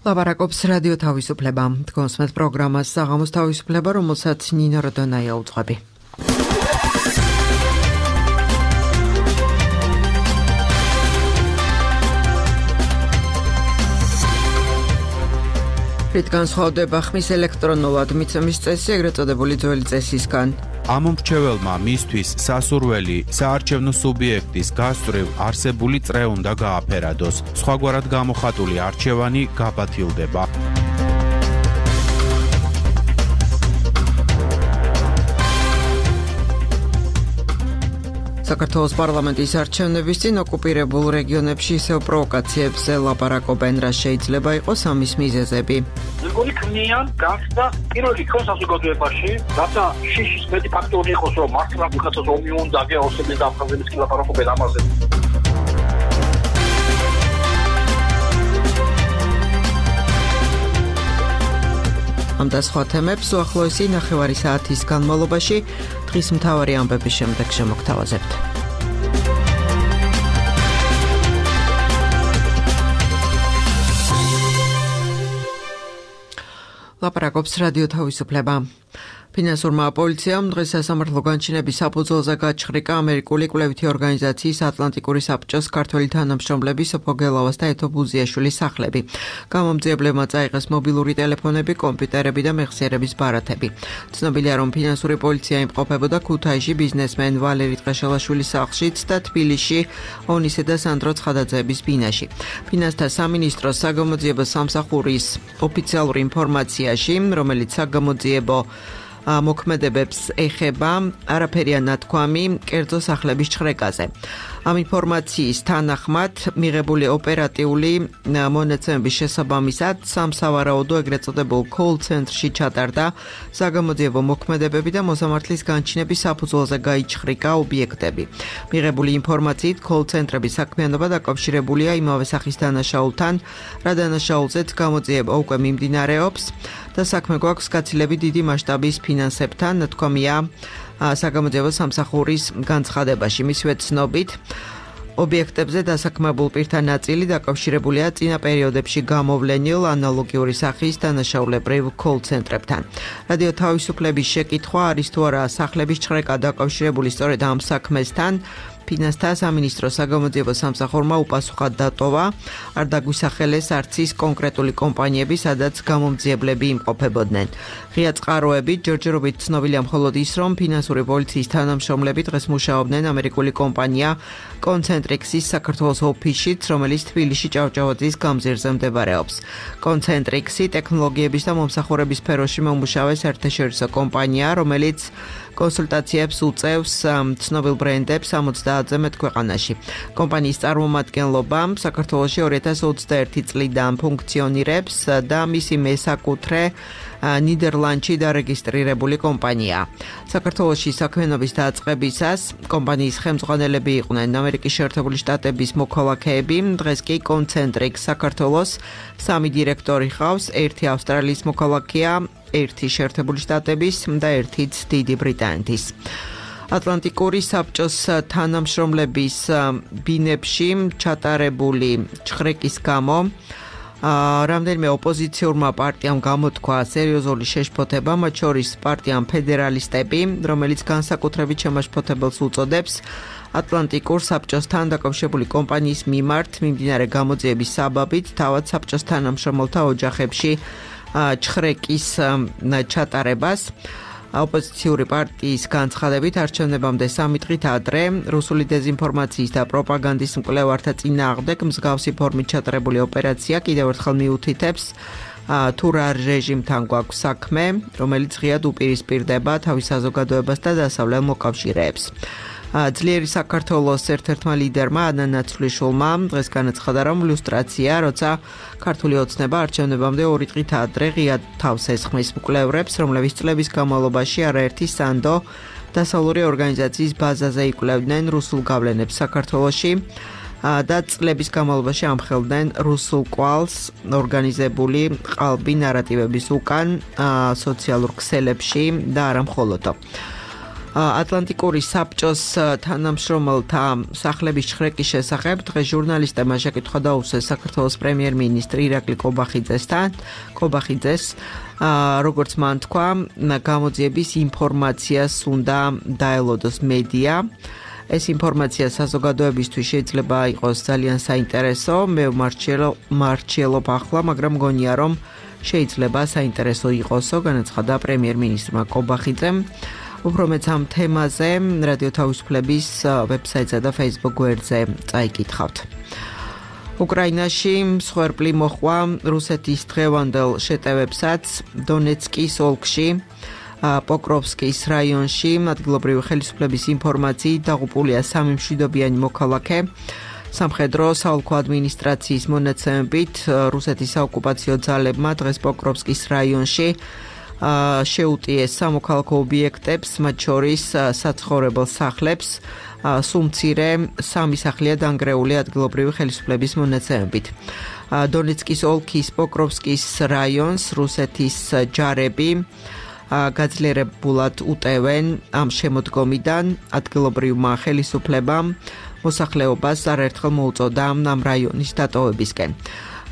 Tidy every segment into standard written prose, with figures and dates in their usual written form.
ლაპარაკობს რადიო თავისუფლება. თქვენს პროგრამას საღამოს თავისუფლება, რომელსაც ნინო როდონაია უძღვები. რით განსხვავდება ხმის ელექტრონულად მიცემის წესი, ეგრეთ წოდებული ძველი წესისგან? ამ მრჩეველმა მისთვის სასურველი საარჩევნო სუბიექტის გასწვრივ არსებული წრე უნდა გააფერადოს. სხვაგვარად გამოხატული არჩევანი გაბათილდება. საქართველოს პარლამენტის არჩევნების წინ ოკუპირებულ რეგიონებში ისევ პროვოკაციებზე ლაპარაკობენ, რა შეიძლება იყოს ამის მიზეზები. მეგონი ქმნიან გახდა პირველი რიგ საზოგადოებაში, რათა შიშის მეტი ფაქტორი იყოს, რომ მართლა ვიღაცას ომი უნდა გეოსების დამხაზების კი ლაპარაკობენ ამაზე. ამ და სხვა თემებს უახლოესი ნახევარი საათის განმავლობაში დღის მთავარი ამბების შემდეგ შემოგთავაზებთ. ლაპარაკობს რადიო თავისუფლება. ფინანსურმა პოლიციამ დღეს სასამართლო განჩინების საფუძველზე გაჩხრიკა ამერიკული კვლევითი ორგანიზაციის ატლანტიკური საბჭოს ქართველი თანამშრომლები სოფო გელავას და ეთო ბუზიაშვილის სახლები. გამომძიებლებმა წაიღეს მობილური ტელეფონები, კომპიუტერები და მეხსიერების ბარათები. ცნობილია, რომ ფინანსური პოლიცია იმყოფებოდა ქუთაისში ბიზნესმენ ვალერი ტყეშელაშვილის სახლშიც და თბილისში ონისე და სანდრო ცხადაძეების ბინაში. ფინანსთა სამინისტროს საგამოძიებო სამსახურის ოფიციალური ინფორმაციაში, რომელიც საგამოძიებო მოქმედებებს ეხება, არაფერია ნათქვამი კერძო სახლების ჩხრეკაზე. ამ ინფორმაციის თანახმად მიღებული ოპერატიული მონაცემების შესაბამისად სამსავარაუდო ეგრეთ წოდებულ call ცენტრში ჩატარდა საგამოძიებო მოქმედებები და მოსამართლის განჩინების საფუძველზე გაიჩხრიკა ობიექტები. მიღებული ინფორმაციით call ცენტრების საქმიანობა დაკავშირებულია იმავე სახის დანაშაულთან, რა დანაშაულზეც გამოძიება უკვე მიმდინარეობს და საქმე გვაქვს გაცილებით დიდი მასშტაბის ფინანსებთან, ნათქვამია საგამოძიებო სამსახურის განცხადებაში. მისივე ცნობით, ობიექტებზე დასაქმებულ პირთა ნაწილი დაკავშირებულია წინა პერიოდებში გამოვლენილ ანალოგიური სახის დანაშაულებრივ call ცენტრებთან. რადიო თავისუფლების შეკითხვა არის თუ არა სახლების ჩხრეკა დაკავშირებული სწორედ ამ საქმესთან, ფინანსთა სამინისტროს საგამოძიებო სამსახურმა უპასუხად დატოვა, არ დაგვისახელეს არც ის კონკრეტული კომპანიები, სადაც გამომძიებლები იმყოფებოდნენ. ღია წყაროებით ჯერჯერობით ცნობილია მხოლოდ ის, რომ ფინანსური პოლიციის თანამშრომლები დღეს მუშაობდნენ ამერიკული კომპანია კონცენტრიქსის საქართველოს ოფისშიც, რომელიც თბილისში ჭავჭავაძის გამზირზე მდებარეობს. კონცენტრიქსი ტექნოლოგიების და მომსახურების სფეროში მომუშავე საერთაშორისო კომპანია, რომელიც კონსულტაციებს უწევს ცნობილ ბრენდებს 70-ზე მეტ ქვეყანაში. კომპანიის წარმომადგენლობა საქართველოში 2021 წლიდან ფუნქციონირებს და მისი მესაკუთრე ნიდერლანდში დარეგისტრირებული კომპანიაა. საქართველოში საქმიანობის დაწყებისას კომპანიის ხელმძღვანელები იყვნენ ამერიკის შეერთებული შტატების მოქალაქეები, დღეს კი კონცენტრიქ საქართველოს 3 დირექტორი ჰყავს, 1 ავსტრალიის მოქალაქეა, 1 შეერთებული შტატების და 1 დიდი ბრიტანეთის. ატლანტიკური საბჭოს თანამშრომლების ბინებში ჩატარებული ჩხრეკის გამო რამდენიმე ოპოზიციურმა პარტიამ გამოთქვა სერიოზული შეშფოთება, მათ შორის პარტიამ ფედერალისტები, რომელიც განსაკუთრებით შემაშფოთებელს უწოდებს ატლანტიკურ საბჭოსთან დაკავშირებული კომპანიის მიმართ მიმდინარე გამოძიების საბაბით თავად საბჭოს თანამშრომელთა ოჯახებში ჩხრეკის ჩატარებას. ოპოზიციური პარტიის განცხადებით არჩევნებამდე 3 დღით ადრე რუსული დეზინფორმაციის და პროპაგანდის მკვლევართა წინააღმდეგ მსგავსი ფორმით ჩატარებული ოპერაცია კიდევ ერთხელ მიუთითებს თუ რა რეჟიმთან გვაქვს საქმე, რომელიც ღიად უპირისპირდება თავის საზოგადოებას და დასავლელ მოკავშირეებს. ძლიერი საქართველოს ერთ-ერთმა ლიდერმა ანა ნაცვლიშვილმა დღეს განაცხადა, რომ ლუსტრაცია, როცა ქართული ოცნება არჩევნებამდე 2 დღით ადრე ღიად თავს ესხმის მკვლევრებს, რომლებიც წლების განმავლობაში არაერთი სანდო დასავლური ორგანიზაციის ბაზაზე იკვლევდნენ რუსულ გავლენებს საქართველოში და წლების განმავლობაში ამხელდნენ რუსულ კვალს ორგანიზებული ყალბი ნარატივების უკან სოციალურ ქსელებში და არა მხოლოდ. ატლანტიკური საბჭოს თანამშრომელთა სახლების ჩხრეკის შესახებ დღეს ჟურნალისტებმა შეკითხვა დაუსვეს საქართველოს პრემიერ-მინისტრ ირაკლი კობახიძეს, როგორც მან თქვა, გამოძიების ინფორმაციას უნდა დაელოდოს მედია. ეს ინფორმაცია საზოგადოებისთვის შეიძლება იყოს ძალიან საინტერესო, მე მარჩიელობ ახლა, მაგრამ მგონია, რომ შეიძლება საინტერესო იყოსო, განაცხადა პრემიერ-მინისტრმა კობახიძემ. უფრო მეც ამ თემაზე რადიო თავისუფლების ვებსაიტსა და Facebook გვერდზე წაიკითხავთ. უკრაინაში მსხვერპლი მოჰყვა რუსეთის დღევანდელ შეტევებსაც დონეცკის ოლქში, პოკროვსკის რაიონში, ადგილობრივი ხელისუფლების ინფორმაციით დაღუპულია 3 მშვიდობიანი მოქალაქე. სამხედრო საოლქო ადმინისტრაციის მონაცემებით რუსეთის საოკუპაციო ძალებმა დღეს პოკროვსკის რაიონში შეუტიეს სამოქალაქო ობიექტებს, მათ შორის საცხოვრებელ სახლებს, სულ მცირე 3 სახლია დანგრეული ადგილობრივი ხელისუფლების მონაცემებით. დონეცკის ოლქის პოკროვსკის რაიონს რუსეთის ჯარები გაძლიერებულად უტევენ ამ შემოდგომიდან. ადგილობრივმა ხელისუფლებამ მოსახლეობას არაერთხელ მოუწოდა ამ რაიონის დატოვებისკენ.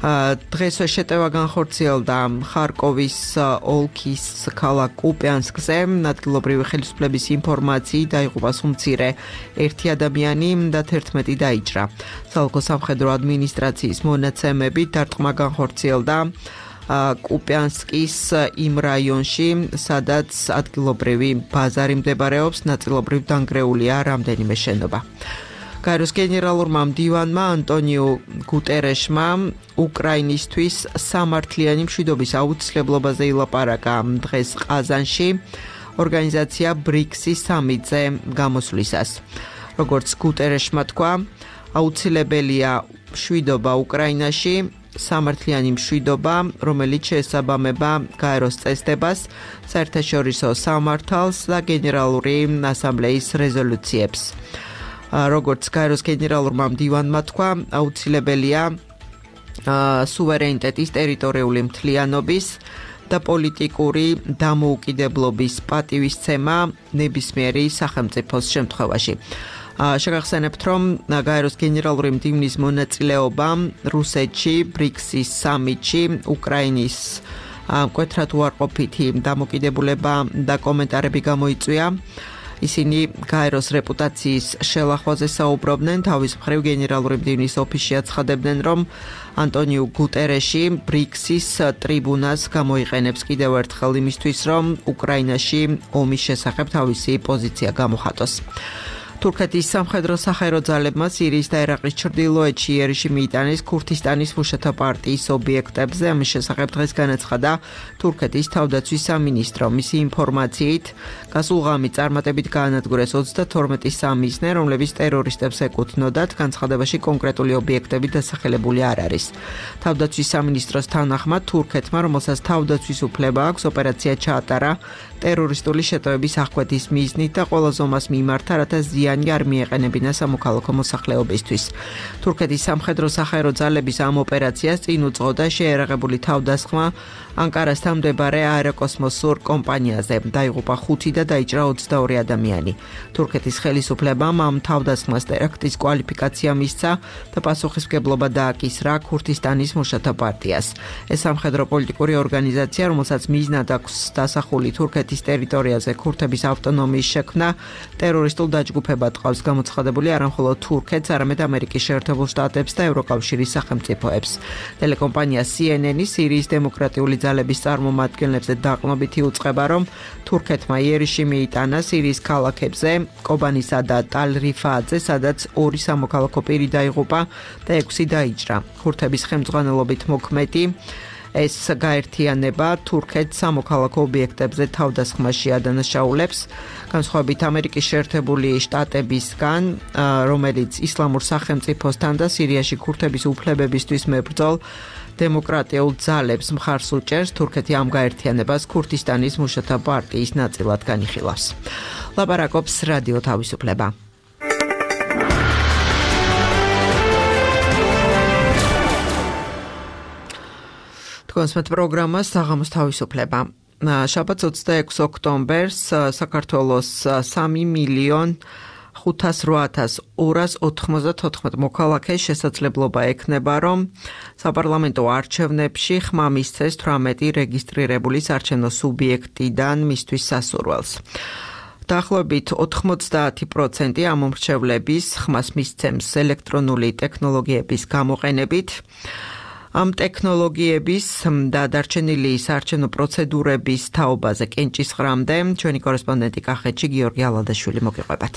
დღეს შეტევა განხორციელდა ხარკოვის ოლქის ქალაქ კუპიანსკზე. ადგილობრივი ხელისუფლების ინფორმაციით დაიღუპა სულ-მცირე 1 ადამიანი და 11 დაიჭრა. საოლქო სამხედრო ადმინისტრაციის მონაცემებით დარტყმა განხორციელდა კუპიანსკის იმ რაიონში, სადაც ადგილობრივი ბაზარი მდებარეობს, ნაწილობრივ დანგრეულია რამდენიმე შენობა. გაეროს გენერალურმა მდივანმა ანტონიუ გუტერეშმა უკრაინისთვის სამართლიანი მშვიდობის აუცილებლობაზე ილაპარაკა დღეს ყაზანში ორგანიზაცია BRICS-ის სამიტზე გამოსვლისას. როგორც გუტერეშმა თქვა, აუცილებელია მშვიდობა უკრაინაში, სამართლიანი მშვიდობა, რომელიც შეესაბამება გაეროს წესდებას, საერთაშორისო სამართალს და გენერალური ასამბლეის რეზოლუციებს. როგორც გაეროს გენერალურმა მდივანმა თქვა, აუცილებელია სუვერენიტეტის, ტერიტორიული მთლიანობის და პოლიტიკური დამოუკიდებლობის პატივისცემა ნებისმიერი სახელმწიფოს შემთხვევაში. შეგახსენებთ, რომ გაეროს გენერალური მდივნის მონაწილეობა რუსეთში BRICS-ის სამიტში უკრაინის მკვეთრად უარყოფითი დამოკიდებულება და კომენტარები გამოიწვია. ისინი გაეროს რეპუტაციის შელახვაზე საუბრობდნენ, თავის მხრივ გენერალური მდივნის ოფისში აცხადებდნენ, რომ ანტონიუ გუტერეში BRICS-ის ტრიბუნას გამოიყენებს კიდევ ერთხელ იმისთვის, რომ უკრაინაში ომის შესახებ თავისი პოზიცია გამოხატოს. თურქეთის სამხედრო სახაერო ძალებმა სირიის და ერაყის ჩრდილოეთში იერიში მიიტანეს ქურთისტანის მუშათა პარტიის ობიექტებზე. ამის შესახებ დღეს განაცხადა თურქეთის თავდაცვის სამინისტრო. მისი ინფორმაციით, გასულ ღამით წარმატებით გაანადგურეს 32 სამიზნე, რომლებიც ტერორისტებს ეკუთვნოდათ. განცხადებაში კონკრეტული ობიექტები დასახელებული არ არის. თავდაცვის სამინისტროს თანახმად, თურქეთმა, რომელსაც თავდაცვის უფლება აქვს, ოპერაცია ჩაატარა ტერორისტული შეტევების აღკვეთის მიზნით და ყველა ზომას მიმართა, რათა ზიანი არ მიეყენებინა სამოქალაქო მოსახლეობისთვის. თურქეთის სამხედრო სახაერო ძალების ამ ოპერაციას წინ უძღოდა შეერაღებული თავდასხმა ანკარასთან მდებარე აეროკოსმოსურ კომპანიაზე. დაიღუპა 5 და დაიჭრა 22 ადამიანი. თურქეთის ხელისუფლებამ ამ თავდასხმას ტერაქტის კვალიფიკაცია მისცა და პასუხისმგებლობა დააკისრა ქურთისტანის მუშათა პარტიას. ეს სამხედრო პოლიტიკური ორგანიზაცია, რომელსაც მიზნად აქვს დასახული თურქეთის ტერიტორიაზე ქურთების ავტონომიის შექმნა, ტერორისტულ დაჯგუფებად ყავს გამოცხადებული არა მხოლოდ თურქეთს, არამედ ამერიკის შეერთებულ შტატებს და ევროკავშირის სახელმწიფოებს. ტელეკომპანია CNN-ი სირიის დემოკრატიული ძალების წარმომადგენლებზე დაყრდნობით იუწყება, რომ თურქეთმა იერიში მიიტანა სირიის ქალაქებზე, კობანისა და ტალ-რიფაატზე, სადაც 2 სამოქალაქო პირი დაიღუპა და 6 დაიჭრა. ქურთების ხელმძღვანელობით მოქმედი ეს გაერთიანება თურქეთს სამოქალაქო ობიექტებზე თავდასხმაში ადანაშაულებს. განსხვავებით ამერიკის შეერთებული შტატებისგან, რომელიც ისლამურ სახელმწიფოსთან და სირიაში ქურთების უფლებებისთვის მებრძოლ დემოკრატიულ ძალებს მხარს უჭერს, თურქეთი ამ გაერთიანებას ქურთისტანის მუშათა პარტიის ნაწილად განიხილავს. ლაპარაკობს რადიო თავისუფლება. თქვენს პროგრამას საღამოს თავისუფლება. შაბათს 26 ოქტომბერს საქართველოს 3,508,294 მოქალაქეს შესაძლებლობა ექნება, რომ საპარლამენტო არჩევნებში ხმა მისცეს 18 რეგისტრირებული საარჩევნო სუბიექტიდან მისთვის სასურველს. დაახლოებით 90% ამომრჩევლების ხმას მისცემს ელექტრონული ტექნოლოგიების გამოყენებით. ამ ტექნოლოგიების და დარჩენილი საარჩევნო პროცედურების თაობაზე კენჭისყრამდე ჩვენი კორესპონდენტი კახეთში გიორგი ალადაშვილი მოგიყვებათ.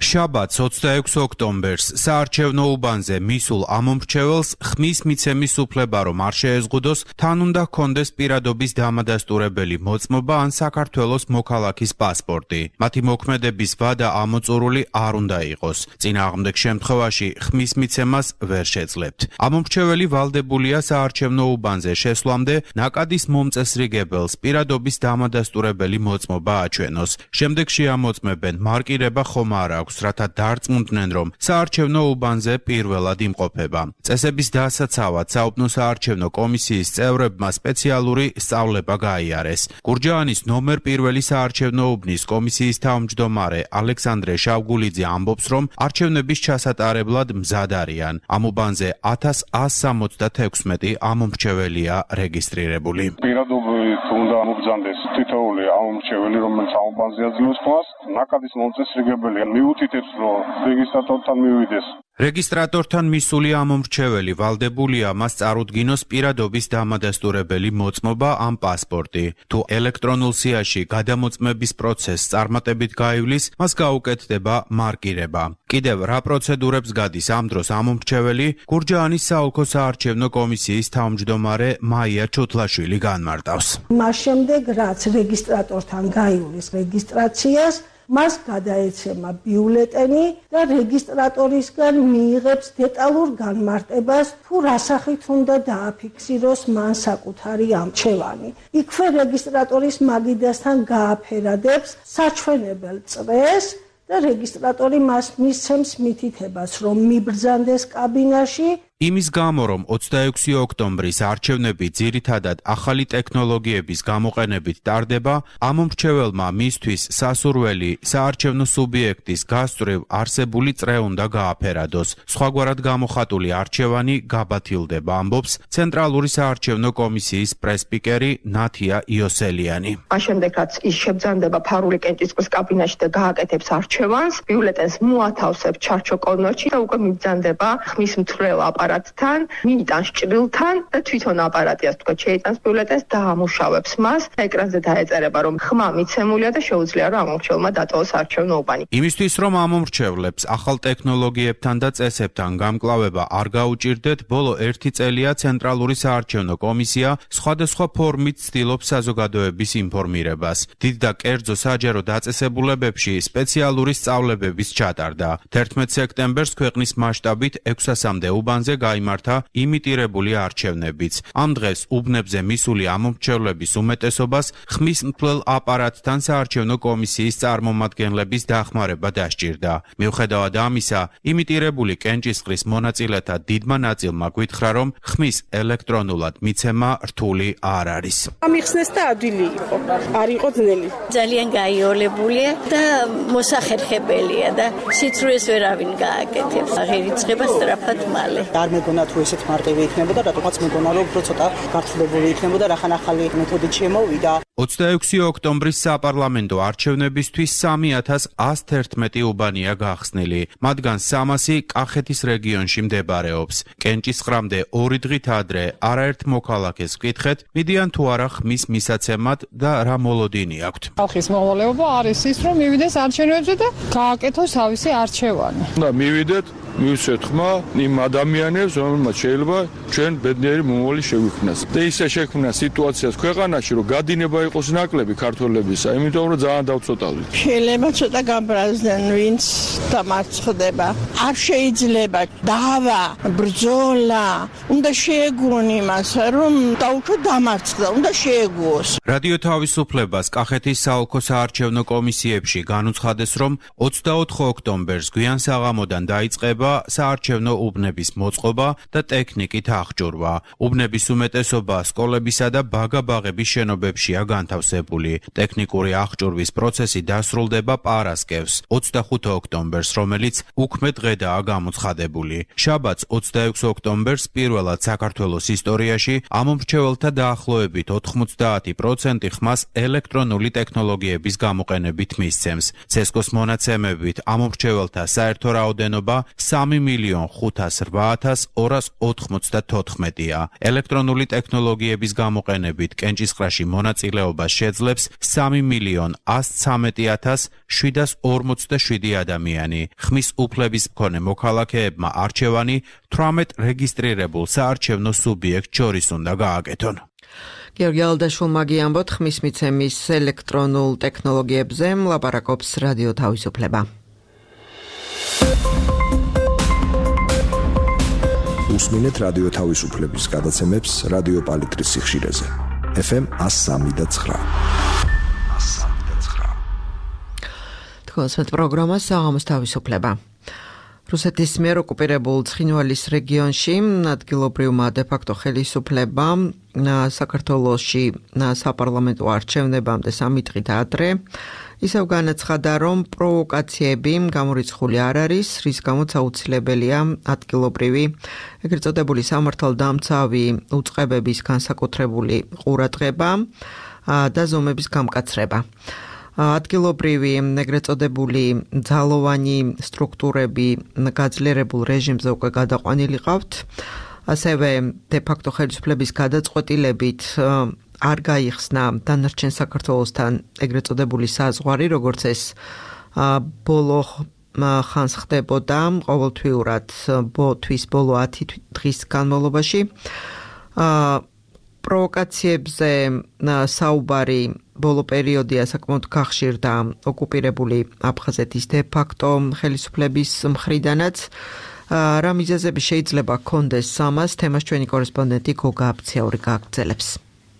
შაბათს 26 ოქტომბერს საარჩევნო უბანზე მისულ ამომრჩეველს ხმის მიცემის უფლება რომ არ შეეზღუდოს, თან უნდა ჰქონდეს პირადობის დამადასტურებელი მოწმობა ან საქართველოს მოქალაქის პასპორტი. მათი მოქმედების ვადა ამოწურული არ უნდა იყოს. წინააღმდეგ შემთხვევაში ხმის მიცემას ვერ შეძლებთ. ამომრჩეველი ვალდებულია საარჩევნო უბანზე შესვლამდე ნაკადის მომწესრიგებელს პირადობის დამადასტურებელი მოწმობა აჩვენოს. შემდეგში ამოწმებენ მარკირება ხომ არ აქვს, რათა დარწმუნდნენ, რომ საარჩევნო უბანზე პირველად იმყოფება. წესების დასაცავად საუბნო საარჩევნო კომისიის წევრებმა სპეციალური სწავლება გაიარეს. გურჯაანის ნომერ პირველი საარჩევნო უბნის კომისიის თავმჯდომარე ალექსანდრე შავგულიძე ამბობს, რომ არჩევნების ჩასატარებლად მზად არიან. ამ უბანზე 1176 ამომრჩეველია რეგისტრირებული. პირადობით უნდა მობრძანდეს თითოეული ამომრჩეველი, რომელიც ამ უბანზე აძლევს ხმას, ნაკადის მომწესრიგებელი მიუთითებს, რომ რეგისტრატორთან მივიდეს. რეგისტრატორთან მისული ამომრჩეველი ვალდებულია მას წარუდგინოს პირადობის დამადასტურებელი მოწმობა ან პასპორტი. თუ ელექტრონულ სიაში გადამოწმების პროცესს წარმატებით გაივლის, მას გაუკეთდება მარკირება. კიდევ რა პროცედურებს გადის ამ დროს ამომრჩეველი, გურჯაანის საოლქო საარჩევნო კომისიის თავმჯდომარე მაია ჩუთლაშვილი განმარტავს. მას შემდეგ, რაც რეგისტრატორთან გაივლის რეგისტრაციას, მას გადაეცემა ბიულეტენი და რეგისტრატორისგან მიიღებს დეტალურ განმარტებას, თუ რა სახით უნდა დააფიქსიროს მან საკუთარი ამჩევანი. იქვე რეგისტრატორის მაგიდასთან გააფერადებს საჩვენებელ წრეს და რეგისტრატორი მას მისცემს მითითებას, რომ მიბრძანდეს კაბინაში. იმის გამო, რომ 26 ოქტომბრის არჩევნები ძირითადად ახალი ტექნოლოგიების გამოყენებით ტარდება, ამომრჩეველმა მისთვის სასურველი საარჩევნო სუბიექტის გასწვრივ არსებული წრე უნდა გააფერადოს. სხვაგვარად გამოხატული არჩევანი გაბათილდება, ამბობს ცენტრალური საარჩევნო კომისიის პრესპიკერი ნათია იოსელიანი. ამ შემდეგ, რაც ის შებრძანდება ფარული კენჭისყრის კაბინაში და გააკეთებს არჩევანს, ბიულეტენს მოათავსებს ჩარჩო კოლნოში და უკვე მიბრძანდება ხმის მთვრელ აპარატთან, მიიტანს ჭრილთან და თვითონ აპარატი ასე თქვა შეიტანს ბიულეტენს და ამუშავებს მას. ეკრანზე დაეწერება, რომ ხმა მიცემულია და შეუძლია რომ ამომრჩეველმა დატოვოს არჩევნო უბანი. იმისთვის, რომ ამომრჩევლებს ახალ ტექნოლოგიებთან და წესებთან გამკლავება არ გაუჭირდეთ, ბოლო 1 წელია ცენტრალური საარჩევნო კომისია სხვადასხვა ფორმით ცდილობს საზოგადოების ინფორმირებას. დიდ და კერძო საჯარო დაწესებულებებში სპეციალური სწავლებების ჩატარდა. 11 სექტემბერს ქვეყნის მასშტაბით 600-მდე უბანზე გაიმართა იმიტირებული არჩევნებიც. ამ დღეს უბნებზე მისული ამომრჩევლების უმეტესობას ხმის მთვრელ აპარატთან საარჩევნო კომისიის წარმომადგენლების დახმარება დასჭირდა. მიუხედავად ამისა, იმიტირებული კენჭისყრის მონაწილეთა დიდმა ნაწილმა გვითხრა, რომ ხმის ელექტრონულად მიცემა რთული არ არის. ამიხსნეს და ადვილი იყო, არ იყო ძნელი. ძალიან გაიოლებულია და მოსახერხებელია და სიცრუეს ვერავინ გააკეთებს. აღერიცხება სწრაფად მალე. არ მეგონა თუ ესეთ მარტივი იქნებოდა, რატომაც მეგონა რომ უფრო ცოტა გართულებული იქნებოდა, რახან ახალი მეთოდით შემოვიდა. 26 ოქტომბრის საპარლამენტო არჩევნებისთვის 3111 უბანია გახსნილი. მათგან 300 კახეთის რეგიონში მდებარეობს. კენჭისყრამდე 2 დღით ადრე არაერთ მოქალაქეს ვკითხეთ, მიდიან თუ არა ხმის მისაცემად და რა მოლოდინი აქვთ. ხალხის მოვალეობა არის ის, რომ მივიდეს არჩევნებზე და გააკეთოს თავისი არჩევანი. და მივიდეთ, მივცეთ ხმა იმ ადამიანებს, რომელმაც შეიძლება ჩვენ ბედნიერი მომავალი შევიქმნას. და ისე შექმნა სიტუაციას ქვეყანაში, რომ გადინება იყოს ნაკლები ქართველებისა, იმიტომ რომ ძალიან დავწოტავდით. შეიძლება ცოტა გაბრაზდნენ, ვინც დამარცხდება. არ შეიძლება დავა, ბრძოლა, უნდა შეეგუონ იმას, რომ დაუშვათ დამარცხდა, უნდა შეეგუოს. რადიო თავისუფლებას კახეთის საოლქო საარჩევნო კომისიებში განუცხადეს, რომ 24 ოქტომბერს გვიან საღამოდან დაიწყება ხდება საარჩევნო უბნების მოწყობა და ტექნიკით აღჭურვა. უბნების უმეტესობა სკოლებისა და ბაგა-ბაღების შენობებშია განთავსებული. ტექნიკური აღჭურვის პროცესი დასრულდება პარასკევს, 25 ოქტომბერს, რომელიც უქმე დღედაა გამოცხადებული. შაბათს 26 ოქტომბერს პირველად საქართველოს ისტორიაში ამომრჩეველთა დაახლოებით 90% ხმას ელექტრონული ტექნოლოგიების გამოყენებით მისცემს. CESCO-ს მონაცემებით ამომრჩეველთა საერთო რაოდენობა 3.508.294-ია. ელექტრონული ტექნოლოგიების გამოყენებით კენჭისყრაში მონაწილეობას შეძლებს 3.113.747 ადამიანი. ხმის უფლების მქონე მოქალაქეებმა არჩევანი 18 რეგისტრირებულ საარჩევნო სუბიექტ შორის უნდა გააკეთონ. გიორგი ალდაშვილმა გიამბოთ ხმის მიცემის ელექტრონულ ტექნოლოგიებზე ლაპარაკობს რადიო თავისუფლება. უსმინეთ რადიო თავისუფლების გადაცემებს რადიო პალიტრის სიხშირეზე. FM 103.9. თქვენს პროგრამა საღამოს თავისუფლება. რუსეთის მიერ ოკუპირებულ ცხინვალის რეგიონში ადგილობრივმა დე-ფაქტო ხელისუფლებამ საქართველოში საპარლამენტო არჩევნებამდე 3 დღით ადრე ისევ განაცხადა, რომ პროვოკაციები გამორიცხული არ არის, რის გამოც აუცილებელია ადგილობრივი ეგრეთ წოდებული სამართალდამცავი უწყებების განსაკუთრებული ყურადღება და ზომების გამკაცრება. ადგილობრივი ეგრეთ წოდებული ძალოვანი სტრუქტურები გაძლიერებულ რეჟიმზე უკვე გადაყვანილი ყავთ. ასევე დე-ფაქტო ხელისუფლების გადაწყვეტილებით არ გაიხსნა დანარჩენ საქართველოსთან ეგრეთ წოდებული საზღვარი, როგორც ეს ბოლო ხანს ხდებოდა ყოველთვიურად თვის ბოლო 10 დღის განმავლობაში. პროვოკაციებზე საუბარი ბოლო პერიოდია საკმაოდ გახშირდა ოკუპირებული აფხაზეთის დე-ფაქტო ხელისუფლების მხრიდანაც. რა მიზეზები შეიძლება ჰქონდეს ამას, თემას ჩვენი კორესპონდენტი გოგა აბციური გააგრძელებს.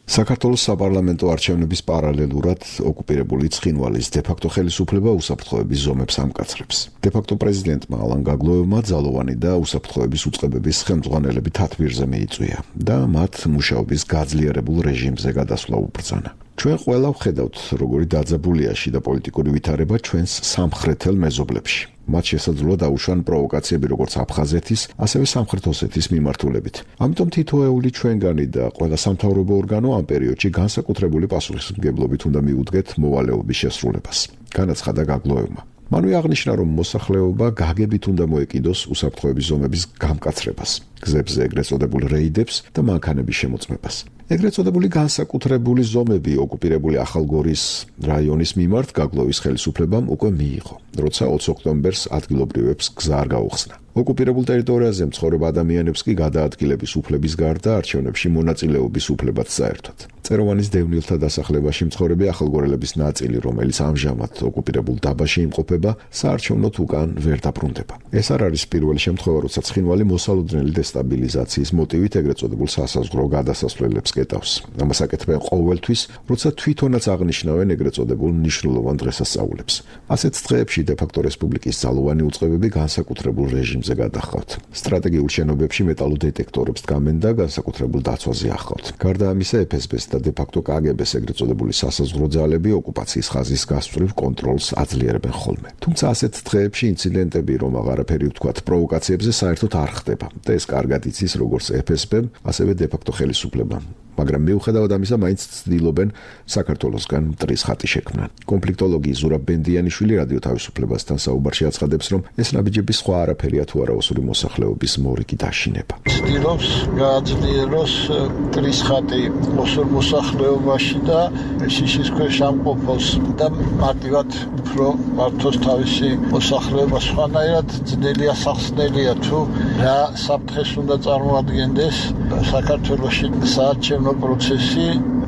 საქართველოს საპარლამენტო არჩევნების პარალელურად ოკუპირებული ცხინვალის დე-ფაქტო ხელისუფლება უსაფრთხოების ზომებს ამკაცრებს. დე-ფაქტო პრეზიდენტმა ალან გაგლოევმა ძალოვანი და უსაფრთხოების უწყებების ხელმძღვანელები თათბირზე მიიწვია და მათ მუშაობის გაძლიერებულ რეჟიმზე გადასვლა უბრძანა. ჩვენ ყველა ვხედავთ, როგორი დაძაბულია შიდა პოლიტიკური ვითარება ჩვენს სამხრეთელ მეზობლებში. მათ შესაძლოა დაუშვან პროვოკაციები როგორც აფხაზეთის, ასევე სამხრეთ ოსეთის მიმართულებით. ამიტომ თითოეული ჩვენგანი და ყველა სამთავრობო ორგანო ამ პერიოდში განსაკუთრებული პასუხისმგებლობით უნდა მიუდგეთ მოვალეობის შესრულებას. განაცხადა გაგლოევმა. მანვე აღნიშნა, რომ მოსახლეობა გაგებით უნდა მოეკიდოს უსაფრთხოების ზომების გამკაცრებას, გზებზე ეგრეთ წოდებულ რეიდებს და მანქანების შემოწმებას. ეგრეთ წოდებული განსაკუთრებული ზომები ოკუპირებული ახალგორის რაიონის მიმართ გაგლოვის ხელისუფლებამ უკვე მიიღო, როცა 20 ოქტომბერს ადგილობრივებს გზა არ გაუხსნა. ოკუპირებულ ტერიტორიაზე მცხოვრებ ადამიანებს კი გადაადგილების უფლების გარდა არჩევნებში მონაწილეობის უფლებაც საერთოდ. წეროვანის დევნილთა დასახლებაში მცხოვრები ახალგორელების ნაწილი, რომელიც ამჟამად ოკუპირებულ დაბაში იმყოფება, საარჩევნოდ უკან ვერ დაბრუნდება. ეს არ არის პირველი შემთხვევა, როცა ცხინვალი მოსალოდნელი დესტაბილიზაციის მოტივით ეგრეთ წოდებულ სასაზღვრო გადასასვლელებს კეტავს. ამას აკეთებენ ყოველთვის, როცა თვითონაც აღნიშნავენ ეგრეთ წოდებულ მნიშვნელოვან დღესასწაულებს. ასეთ დღეებში დე-ფაქტო რესპუბლიკის ძალოვანი უწყებები განსაკუთრებულ რეჟიმზე გადახავთ. სტრატეგიულ შენობებში მეტალურ დეტექტორებს დგამენ და განსაკუთრებულ დაცვაზე ახავთ. გარდა ამისა, FSB-ს და დე-ფაქტო KGB-ს ეგრეთ წოდებული სასაზღვრო ძალები ოკუპაციის ხაზის გასწვრივ კონტროლს აძლიერებენ ხოლმე. თუმცა ასეთ დღეებში ინციდენტები, რომ აღარაფერი ვთქვათ, პროვოკაციებზე საერთოდ არ ხდება და ეს კარგად იცის როგორც FSB-მ, ასევე დე-ფაქტო ხელისუფლებამ. მაგრამ მიუხედავად ამისა, მაინც ცდილობენ საქართველოსგან მტრის ხატი შექმნან. კონფლიქტოლოგი ზურაბ ბენდიანიშვილი რადიო თავისუფლებასთან საუბარში აცხადებს, რომ ეს ნაბიჯები სხვა არაფერია თუ არა ოსური მოსახლეობის მორიგი დაშინება. ცდილობს გააძლიეროს მტრის ხატი ოსურ მოსახლეობაში და შიშის ქვეშ ამყოფოს და მარტივად უფრო მართოს თავისი მოსახლეობა. სხვანაირად ძნელია სახსნელია თუ რა საფრთხეს უნდა წარმოადგენდეს საქართველოში საარჩევნო პროცესი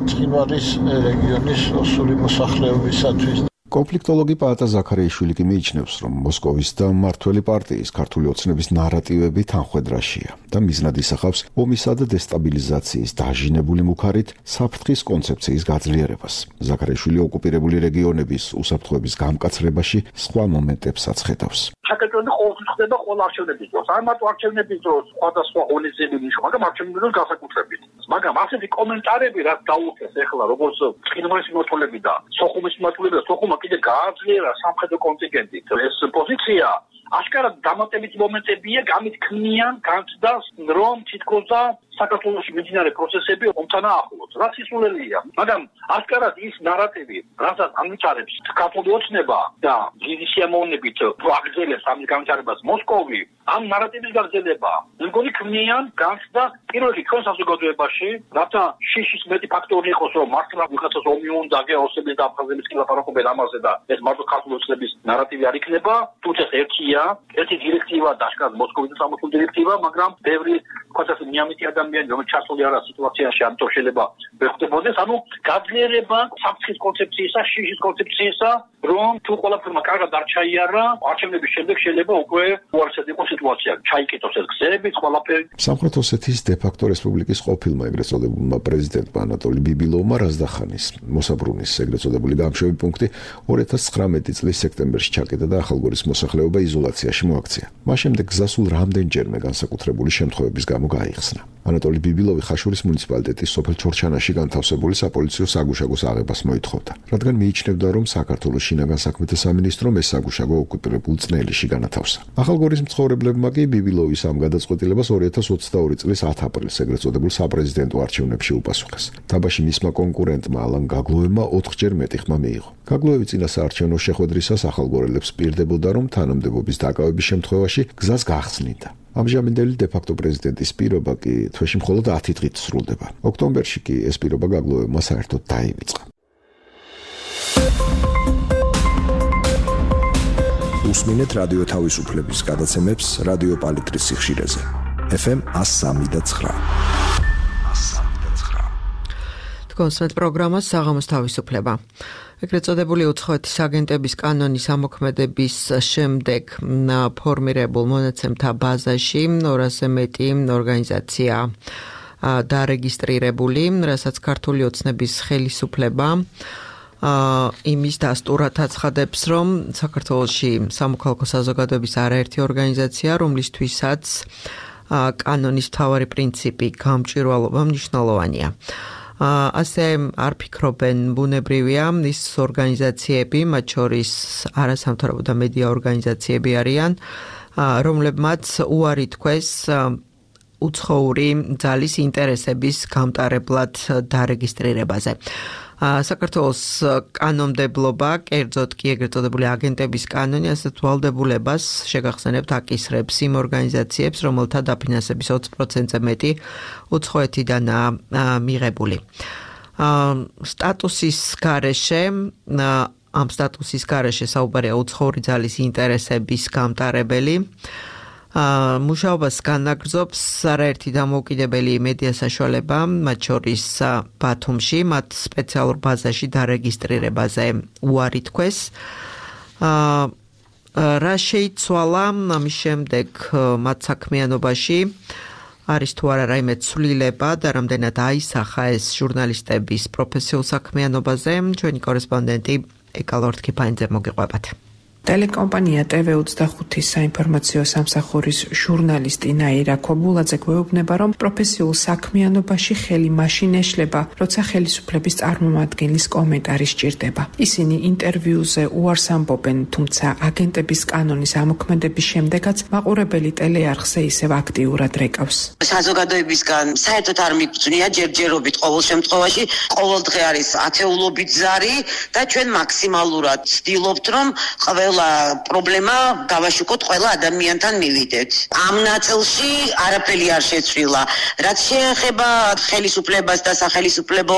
ცხინვალის რეგიონის ოსური მოსახლეობისათვის. კონფლიქტოლოგი პაატა ზაქარიაშვილი კი მიიჩნევს, რომ მოსკოვის და მმართველი პარტიის ქართული ოცნების ნარატივები თანხვედრაშია და მიზნად ისახავს ომისა და დესტაბილიზაციის დაჟინებული მუქარით საფრთხის კონცეფციის გაძლიერებას. ზაქარიაშვილი ოკუპირებული რეგიონების უსაფრთხოების გამკაცრებაში სხვა მომენტებსაც ხედავს. ჩაკეტილი ყოველთვის ხდება ყველა არჩევნების დროს. არ მარტო არჩევნების დროს, სხვადასხვა ღონისძიებების ნიშნობა, მაგრამ არჩევნების დროს განსაკუთრებით. მაგრამ ასეთი კომენტარები, რაც დაუხეს ახლა როგორც ყინვარის მმართველები და სოხუმის მმართველები და სოხუმმა კიდე გააძლიერა სამხედრო კონტინგენტით. ეს პოზიცია აშკარად დამატებითი მომენტებია, გამით ქმნიან განცდას, რომ თითქოს და საქართველოში მიმდინარე პროცესები ომთან ახლოს. რაც ისულელია, მაგრამ აშკარად ის ნარატივი, რასაც ამიჩარებს ქართული ოცნება და დიდი სიამოვნებით აგრძელებს ამის განვითარებას მოსკოვი, ამ ნარატივის გაგრძელება, მეგონი ქმნიან განცდას პირველი ჩვენ საზოგადოებაში, რათა შიშის მეტი ფაქტორი იყოს, რომ მართლა ვიღაცას ომი უნდა გეოსების და აფხაზების კი ლაპარაკობენ ამაზე და ეს მარტო ქართული ოცნების ნარატივი არ იქნება, თუმცა ერთია, ერთი დირექტივა და აშკარად მოსკოვის სამართლის დირექტივა, მაგრამ ბევრი თქოს მიამიტი ადამიანი, რომელიც ჩასული არა სიტუაციაში, ამიტომ შეიძლება ვერ ხდებოდეს, ანუ გაძლიერება საფრთხის კონცეფციისა, შიშის კონცეფციისა, რომ თუ ყველაფერმა კარგად არ ჩაიარა, არჩევნების შემდეგ შეიძლება უკვე უარესად იყოს სიტუაცია, ჩაიკეტოს ეს გზები, ყველაფერი. სამხრეთ ოსეთის დე-ფაქტო რესპუბლიკის ყოფილმა ეგრეთ წოდებულმა პრეზიდენტმა ანატოლი ბიბილოვმა რაზდახანის მოსაბრუნის ეგრეთ წოდებული გამშვები პუნქტი 2019 წლის სექტემბერში ჩაკეტა და ახალგორის მოსახლეობა იზოლაციაში მოაქცია. მას შემდეგ გზასულ რამდენჯერმე განსაკუთრებული შემთხვევების გამო გაიხსნა. ანატოლი ბიბილოვი ხაშურის მუნიციპალიტეტის სოფელ ჩორჩანაში განთავსებული საპოლიციო საგუშაგოს აღებას მოითხოვდა, რადგან მიიჩნევდა, რომ საქართველოს შინაგან საქმეთა სამინისტრომ ეს საგუშაგო ოკუპირებულ წნელიში განათავსა. ახალგორის მცხოვრებლებმა კი ბიბილოვის ამ გადაწყვეტილებას 2022 წლის 10 აპრილს ეგრეთ წოდებულ საპრეზიდენტო არჩევნებში უპასუხეს. დაბაში მისმა კონკურენტმა ალან გაგლოევმა 4-ჯერ მეტი ხმა მიიღო. გაგლოევი წინა საარჩევნო შეხვედრისას ახალგორელებს პირდებოდა, რომ თანამდებობის დაკავების შემთხვევაში გზას გახსნიდა. ამჟამინდელი დე-ფაქტო პრეზიდენტის პირობა კი თვეში მხოლოდ 10 დღით სრულდება. ოქტომბერში კი ეს პირობა გაგლოევმა საერთოდ დაივიწყა. უსმინეთ რადიო თავისუფლების გადაცემებს რადიო პალიტრის სიხშირეზე. FM 103.9. კონსერტ პროგრამა საღამოს თავისუფლება. ეგრეთ წოდებული უცხოეთის აგენტების კანონის ამოქმედების შემდეგ ფორმირებულ მონაცემთა ბაზაში 200-ზე მეტი ორგანიზაცია დარეგისტრირებული, რასაც ქართული ოცნების ხელისუფლება იმის დასტურად აცხადებს, რომ საქართველოში სამოქალაქო საზოგადოების არაერთი ორგანიზაცია, რომლისთვისაც კანონის მთავარი პრინციპი გამჭვირვალობა მნიშვნელოვანია. ასე არ ფიქრობენ ბუნებრივია ის ორგანიზაციები, მათ შორის არასამთავრობო და მედია ორგანიზაციები არიან, რომლებმაც უარი თქვეს უცხოური ძალის ინტერესების გამტარებლად დარეგისტრირებაზე. საქართველოს კანონმდებლობა, კერძოდ კი ეგრეთ წოდებული აგენტების კანონი, ასეთ ვალდებულებას შეგახსენებთ აკისრებს იმ ორგანიზაციებს, რომელთა დაფინანსების 20%-ზე მეტი უცხოეთიდანაა მიღებული. სტატუსის გარეშე ამ სტატუსის გარეშე საუბარია უცხოური ძალის ინტერესების გამტარებელი. მუშაობას განაგრძობს არაერთი დამოუკიდებელი მედია საშუალება, მათ შორის ბათუმში, მათ სპეციალურ ბაზაში დარეგისტრირებაზე უარი თქვეს. რა შეიცვალა ამის შემდეგ მათ საქმიანობაში? არის თუ არა რაიმე ცვლილება და რამდენად აისახა ეს ჟურნალისტების პროფესიულ საქმიანობაზე? ჩვენი კორესპონდენტი ეკა ლორთქიფანიძე მოგიყვებათ. ტელეკომპანია TV25-ის საინფორმაციო სამსახურის ჟურნალისტი ნაირა ქობულაძე გვეუბნება, რომ პროფესიულ საქმიანობაში ხელი მაშინ ეშლება, როცა ხელისუფლების წარმომადგენლის კომენტარი სჭირდება. ისინი ინტერვიუზე უარს ამბობენ, თუმცა აგენტების კანონის ამოქმედების შემდეგაც მაყურებელი ტელეარხზე ისევ აქტიურად რეკავს. საზოგადოებისგან საერთოდ არ მიგწვნია ჯერჯერობით ყოველ შემთხვევაში, ყოველ დღე არის ათეულობით ზარი და ჩვენ მაქსიმალურად ვცდილობთ, რომ ყველა ყველა პრობლემა გავაშუქოთ ყველა ადამიანთან მივიდეთ. ამ ნაწილში არაფერი არ შეცვლილა. რაც შეეხება ხელისუფლებას და სახელისუფლებო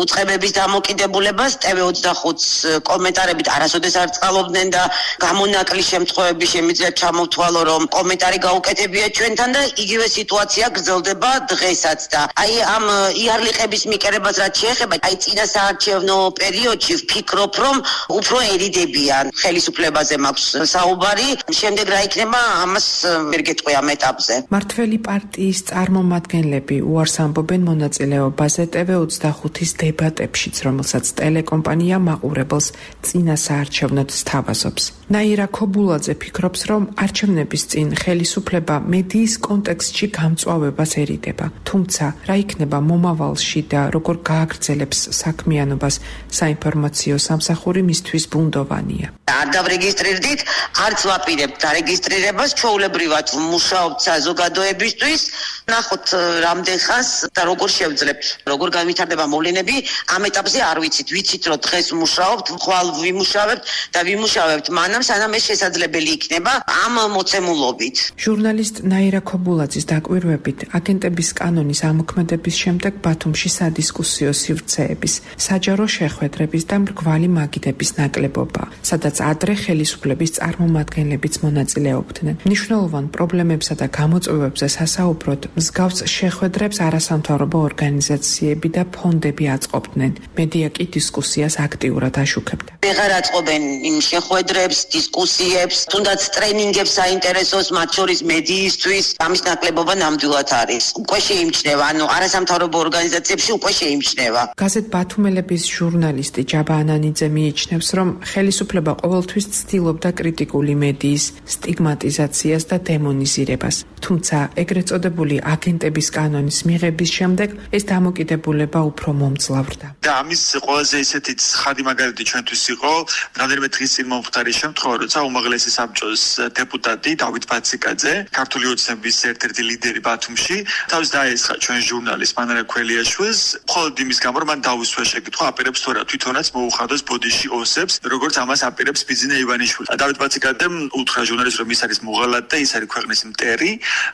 უწყებების დამოკიდებულებას, TV25-ს კომენტარებით არასოდეს არ წყალობდნენ და გამონაკლისის შემთხვევები შემიძლია ჩამოვთვალო, რომ კომენტარი გაუკეთებია ჩვენთან და იგივე სიტუაცია გრძელდება დღესაც და აი ამ იარლიყების მიკერებას რაც შეეხება, აი წინა საარჩევნო პერიოდში ვფიქრობ, რომ უფრო ერიდებიან ხელისუფლებაზე მაქვს საუბარი, შემდეგ რა იქნება ამას ვერ გეტყვი ამ ეტაპზე. მართველი პარტიის წარმომადგენლები უარს ამბობენ მონაწილეობაზე TV25-ის დებატებშიც, რომელსაც ტელეკომპანია მაყურებელს წინა საარჩევნოდ სთავაზობს. ნაირა ქობულაძე ფიქრობს, რომ არჩევნების წინ ხელისუფლება მედიის კონტექსტში გამწვავებასერიდება. თუმცა, რა იქნება მომავალში და როგორ გააგრძელებს საქმიანობას საინფორმაციო სამსახური მისთვის ბუნდოვანია. არ დავრეგისტრირდით, არც ვაპირებთ დარეგისტრირებას, ჩვეულებრივად ვმუშაობთ საზოგადოებისთვის. ნახოთ რამდენ ხანს და როგორ შევძლებთ, როგორ განვითარდება მოვლენები, ამ ეტაპზე არ ვიცით. ვიცით, რომ დღეს ვმუშაობთ, ხვალ ვიმუშავებთ და ვიმუშავებთ მანამ, სანამ ეს შესაძლებელი იქნება ამ მოცემულობით. ჟურნალისტ ნაირა ქობულაძის დაკვირვებით, აგენტების კანონის ამოქმედების შემდეგ ბათუმში სადისკუსიო სივრცეების, საჯარო შეხვედრების და მრგვალი მაგიდების ნაკლებობა, სადაც ადრე ხელისუფლების წარმომადგენლებიც მონაწილეობდნენ. მნიშვნელოვან პრობლემებსა და გამოწვევებზე სასაუბროდ მსგავს შეხვედრებს არასამთავრობო ორგანიზაციები და ფონდები აწყობდნენ. მედია კი დისკუსიას აქტიურად აშუქებდა. ვეღარ აწყობენ იმ შეხვედრებს, დისკუსიებს, თუნდაც ტრენინგებს საინტერესოს, მათ შორის მედიისთვის, ამის ნაკლებობა ნამდვილად არის. უკვე შეიმჩნევა, ანუ არასამთავრობო ორგანიზაციებში უკვე შეიმჩნევა. გაზეთ ბათუმელების ჟურნალისტი ჯაბა ანანიძე მიიჩნევს, რომ ხელისუფლება ყოველთვის ცდილობდა კრიტიკული მედიის სტიგმატიზაციას და დემონიზირებას. თუმცა, ეგრეთ წოდებული აგენტების კანონის მიღების შემდეგ ეს დამოკიდებულება უფრო მომძლავრდა. და ამის ყველაზე ისეთი ცხადი მაგალითი ჩვენთვის იყო, რამდენიმე დღის წინ მომხდარი შემთხვევა, როცა უმაღლესი საბჭოს დეპუტატი დავით ბაციკაძე, ქართული ოცნების ერთ-ერთი ლიდერი ბათუმში, თავს დაესხა ჩვენ ჟურნალისტ მანარა ქველიაშვილს, მხოლოდ იმის გამო, რომ მან დაუსვა შეკითხვა, აპირებს თუ არა თვითონაც მოუხადოს ბოდიში ოსებს, როგორც ამას აპირებს ბიზნე ივანიშვილი. დავით ბაციკაძემ უთხრა ჟურნალისტს, რომ ის არის მოღალატე და ის არის ქვეყნის მტერი,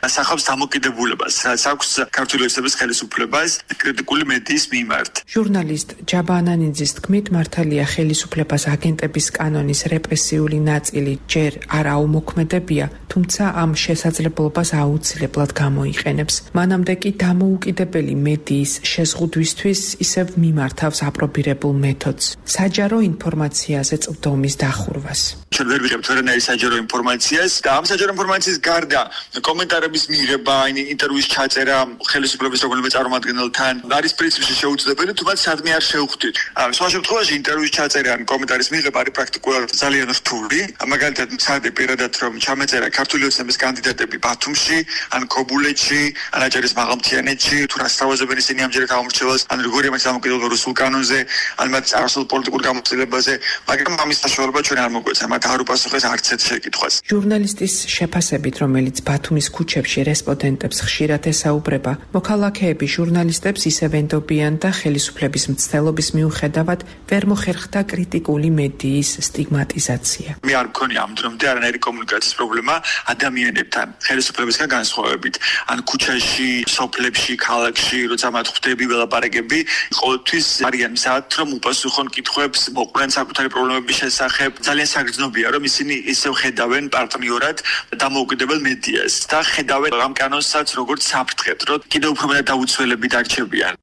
ასახავს დამოკიდებულებას, რაც აქვს ქართული ოცნების ხელისუფლებას კრიტიკული მედიის მიმართ. ჟურნალისტ ჯაბა ანანიძის თქმით, მართალია ხელისუფლებას აგენტების კანონის რეპრესიული ნაწილი ჯერ არ აუმოქმედებია, თუმცა ამ შესაძლებლობას აუცილებლად გამოიყენებს. მანამდე კი დამოუკიდებელი მედიის შეზღუდვისთვის ისევ მიმართავს აპრობირებულ მეთოდს, საჯარო ინფორმაციაზე წვდომის დახურვას. ჩვენ ვერ ვიღებთ ვერანაირ საჯარო ინფორმაციას და ამ საჯარო ინფორმაციის გარდა კომენტარების მიღება, ინტერვიუის ჩაწერა ხელისუფლების რომელიმე წარმომადგენელთან არის პრინციპში შეუძლებელი, თუმცა სადმე არ შევხვდით. სხვა შემთხვევაში ინტერვიუის ჩაწერა ან კომენტარის მიღება არის პრაქტიკულად ძალიან რთული. მაგალითად, მცადე პირადად რომ ჩამეწერა ქართული ოცნების კანდიდატები ბათუმში, ან ქობულეთში, ან აჭარის მაღალმთიანეთში, თუ რა სწავლობენ ისინი ამჯერად ამორჩევალს, ან როგორია მათ დამოკიდებულება რუსულ კანონზე, ან მათ წარსულ პოლიტიკურ გამოცდილებაზე, მაგრამ ამის საშუალება ჩვენ არ მოგვეცა, მათ არ უპასუხეს არც ერთ შეკითხვას. ჟურნალისტის შეფასებით, რომელიც ბათუმის ქუჩებში რესპონდენტებს ხშირად ესაუბრება, მოქალაქეები ჟურნალისტებს ისევ ენდობიან და ხელისუფლების მცდელობის მიუხედავად ვერ მოხერხდა კრიტიკული მედიის სტიგმატიზაცია. მე არ მქონია ამ დრომდე არანაირი კომუნიკაციის პრობლემა ადამიანებთან, ხელისუფლებისგან განსხვავებით. ან ქუჩაში, სოფლებში, ქალაქში, როცა მათ ხვდები ველაპარაკები, ყოველთვის არიან მზად, რომ უპასუხონ კითხვებს, მოყვნენ საკუთარი პრობლემების შესახებ. ძალიან საგრძნობია, რომ ისინი ისევ ხედავენ პარტნიორად დამოუკიდებელ მედიას და ხედავენ ამ კანონსაც როგორც საფრთხეთ, რომ კიდევ უფრო მეტად დაუცველები დარჩებიან.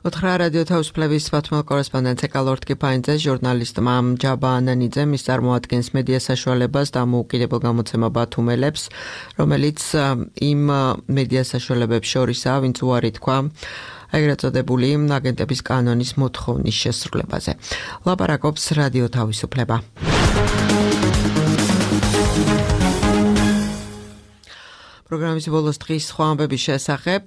უთხრა რადიო თავისუფლების ბათუმელ კორესპონდენტ ეკალორტ კიფაინძე ჟურნალისტმა ჯაბა ანანიძემ ის წარმოადგენს მედია საშუალებას დამოუკიდებელ გამოცემა ბათუმელებს, რომელიც იმ მედია საშუალებებს შორისაა, ვინც უარი თქვა ეგრეთ წოდებული აგენტების კანონის მოთხოვნის შესრულებაზე. ლაპარაკობს რადიო თავისუფლება. პროგრამის ბოლოს დღის სხვა ამბების შესახებ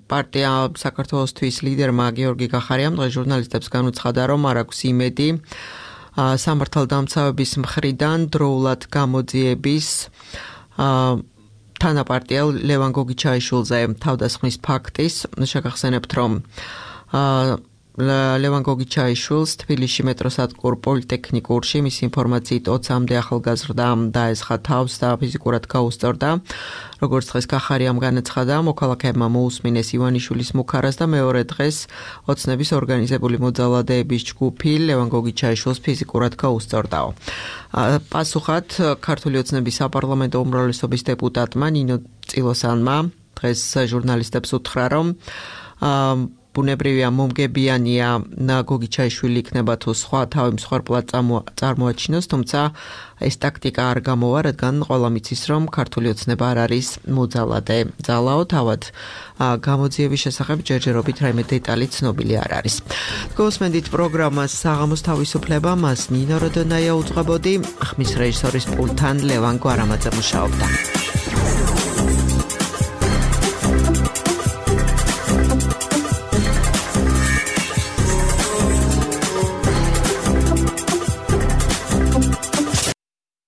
პარტია საქართველოსთვის ლიდერმა გიორგი გახარიამ დღეს ჟურნალისტებს განუცხადა, რომ არ აქვს იმედი სამართალდამცავების მხრიდან დროულად გამოძიების თანაპარტიელ ლევან გოგიჩაიშვილზე თავდასხმის ფაქტის. შეგახსენებთ, რომ ლევან გოგიჩაიშვილს თბილისში მეტროსადგურ პოლიტექნიკურში მის ინფორმაციით 20-მდე ახალგაზრდა დაესხა თავს და ფიზიკურად გაუსწორდა. როგორც დღეს კახარიამ განაცხადა, მოქალაქეებმა მოусმინეს ივანიშვილის მუქარას და მეორე დღეს ოცნების ორგანიზებული მოძალადეების ჯგუფი ლევან გოგიჩაიშვილს ფიზიკურად გაუსწორდაო. პასუხად ქართული ოცნების საპარლამენტო უმრავლესობის დეპუტატმა ნინო წილოსანმა დღეს ჟურნალისტებს უთხრა, რომ ბუნებრივია მომგებიანია გოგიჩაიშვილი იქნება თუ სხვა თავი მსხვერპლად წარმოაჩინოს, თუმცა ეს ტაქტიკა არ გამოვა, რადგან ყველა მიცის, რომ ქართული ოცნება არ არის მოძალადე ძალაო, თავად გამოძიების შესახებ ჯერჯერობით რაიმე დეტალი ცნობილი არ არის. გოსმენდით პროგრამას საღამოს თავისუფლება, მას ნინო როდონაია უძღვებოდი, ხმის რეჟისორის პულტთან ლევან გვარამაძე მუშაობდა.